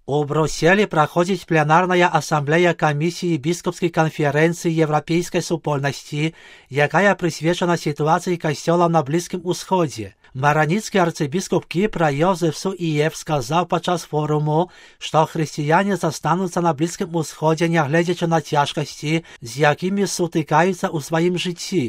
У Брюсселі праходзіць пленарная асамблея камісіі біскупскай канферэнцыі Еўрапейскай супольнасці, якая прысвечана сітуацыі касцёлаў на Блізкім Усходзе. Мараніцкі арцыбіскуп Кіпра Йозеф Суіев сказаў падчас форуму, што хрысціяне застануцца на Блізкім Усходзе, нягледзячы на цяжкасці, з якімі сутыкаюцца ў сваім жыцці.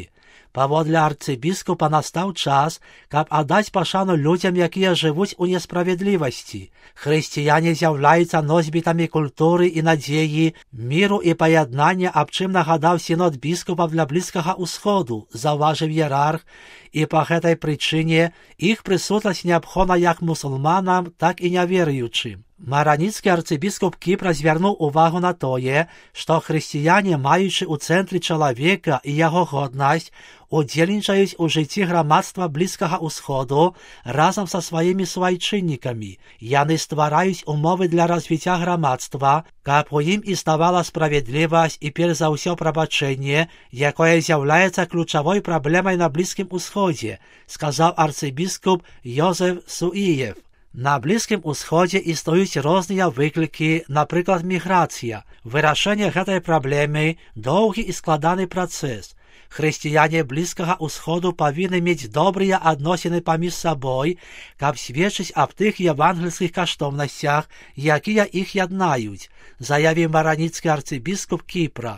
Паводле арцыбіскупа настаў час, каб аддаць пашану людзям, якія жывуць у несправядлівасці. Хрысціяне з'яўляюцца носьбітамі культуры і надзеі, міру і паяднання, аб чым нагадаў сінод біскупаў для Блізкага Усходу, заўважыў іерарх, і па гэтай прычыне іх прысутнасць неабходна як мусульманам, так і няверуючым. Мараніцкі арцыбіскуп Кіпра звярнуў увагу на тое, што хрысціяне, маючы ў цэнтры чалавека і яго годнасць, удзельнічаюць у жыцці грамадства Блізкага Усходу разам са сваімі суайчыннікамі. Яны ствараюць умовы для развіцця грамадства, каб у ім існавала справядлівасць і перш за ўсё прабачэнне, якое з'яўляецца ключавой праблемай на Блізкім Усходзе, сказаў арцыбіскуп Йозеф Суіев. На Блізкім Усходзе існуюць розныя выклікі, напрыклад, міграцыя. Вырашэнне гэтай праблемы – доўгі і складаны працэс. Хрысціяне Блізкага Усходу павінны мець добрыя адносіны паміж сабой, каб сведчыць аб тых евангельскіх каштоўнасцях, якія іх яднаюць, заявіў мараніцкі арцыбіскуп Кіпра.